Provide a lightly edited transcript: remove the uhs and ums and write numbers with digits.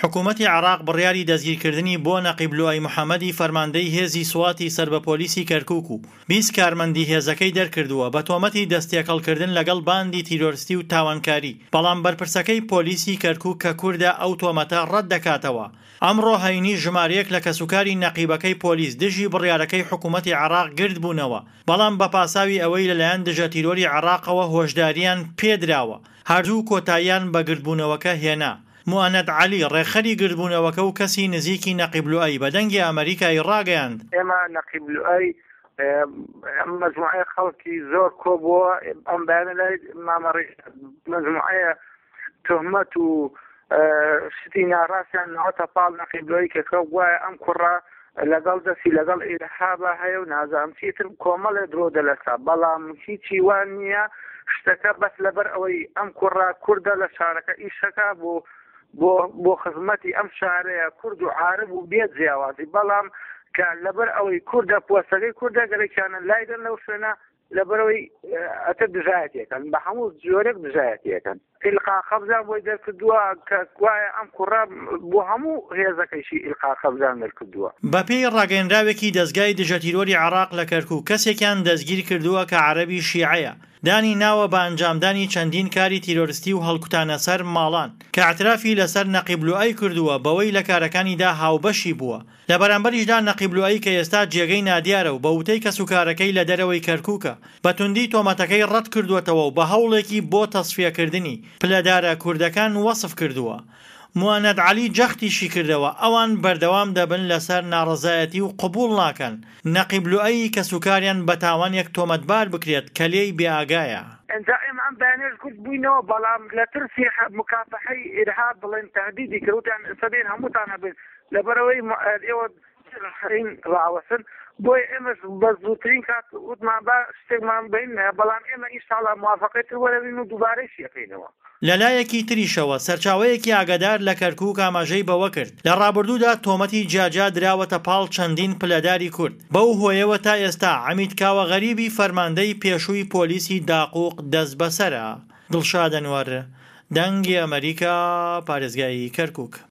حکومەتی عێراق بڕیاری دەستگیرکردنی بۆ نەقیب لوئەی محەمەدی فەرماندەی هێزی سواتی سەر بە پۆلیسی کەرکوک و 20 کارمەندی هێزەکەی دەرکردووە بە تۆمەتی دەستتێکەڵکردن لەگەڵ باندی تیرۆرستی و تاوانکاری، بەڵام بەرپرسەکەی پۆلیسی کەرکوک کە کوردە ئەو تۆمەتە ڕەتدەکاتەوە. ئەمڕۆ هەینی ژمارەیەک لە کەسوکاری نەقیبەکەی پۆلیس دژی بڕیارەکەی حکومەتی عێراق گردبوونەوە، بەڵام بە پاساوی ئەوەی لەلایەن دژەتیرۆری عێراقەوە هۆشدارییان پێدراوە، هەرزوو کۆتاییان بە گردبوونەوەکە هێنا. موئەنەد عەلی، ڕێکخەری گردبوونەوەکە و کەسی نزیکی نەقیب لوئەی بە دەنگی ئەمەریکای ڕاگەیاند، ئێمە نەقیب لوئەی ئەم مەجموعەیە خەڵکی زۆر کۆبووە ئەم بەیانە لای مامە ڕیشاد مەجموعەیە تهمەت و شتی ناڕاستیان ناوەتە پاڵ نەقیب لوئەی کە کە گوایە ئەم کوڕە لەگەڵ دەستی لەگەڵ ئیرهابا هەیە و نازانم چیتر کۆمەڵێ درۆ دەلەسا بەڵام هیچی وان نییە شتەکە بەس لەبەر ئەوەی ئەم کوڕە کوردە لە شارەکە ئیشەکە بۆ بۆ بۆ خزمەتی ئەم شارەیە کورد و عارب و بێ جیاوازی بەڵام کە لەبەر ئەوەی کوردە پۆستەکەی کوردە گەرەکیانە لایدەن لەو شوێنە لەبەرئەوەی ئەتر دژایەتیەکەن بە هەموو جۆرێک دژایەتیەکەن ئیلقا قەبزان بۆی دەرکردووە کە گوایە ئەم کوڕە بۆ هەموو هێزەکەیشی ئیلقا قەبزان دەرکردووە. بەپێی ڕاگەیەنراوێکی دەزگای دژەتیرۆری عێراق لە کەرکوک کەسێکیان دەستگیرکردووە کە عەرەبی شیعەیە دانی ناوە بە ئەنجامدانی چەندین کاری تیرۆرستی و هەڵکوتانە سەر ماڵان کە ئیعترافی لەسەر نەقیب لوئەی کردووە بەوەی لە کارەکانیدا هاوبەشی بووە لە بەرامبەریشدا نەقیب لوئەی کە ئێستا جێگەی نادیارە و بە وتەی کەسوکارەکەی لە دەرەوەی کەرکوکە، بە توندی تۆمەتەکەی ڕەتکردووەتەوە و بە هەوڵێکی بۆ تەسفیەکردنی پلەدارە کوردەکان وەسف کردووە. موئەنەد عەلی جەختیشی کردەوە، ئەوان بەردەوام دەبن لەسەر ناڕەزایەتی و قبوڵ ناکەن نەقیب لوئەی کەسوکاریان بە تاوانێک تۆمەتبار بکرێت کە لێی بێئاگایە. ئینجا ئێمە ئەم بەیانیەش گورد بووینەوە، بەڵام لە ترسی مکافەحەی ئیرهاب بڵێن تەهدیدی کرد، وتیان ئێستا دێن هەمووتان ئەبەین، لەبەرئەوەی ئێوە خەین ڕاوەستن بۆیە ئێمەش بە زووترین کات وتمان با شتێکمان بین بەڵام ئێمە ئینشاڵا موافقەی تر وەرەگرین و دووبارەیشی ئەکەینەوە. لەلایەکی تریشەوە سەرچاوەیەکی ئاگادار لە کەرکوک ئاماژەی بەوەکرد، لە ڕابردوودا تۆمەتی جیاجیا دراوەتە پاڵ چەندین پلەداری کورد، بەو هۆیەوە تا ئێستا عەمید کاوە غەریبی فەرماندەی پێشووی پۆلیسی داقوق دەستبەسەرە. دڵشاد ئەنوەر، دەنگی ئەمەریکا، پارێزگای کەرکوک.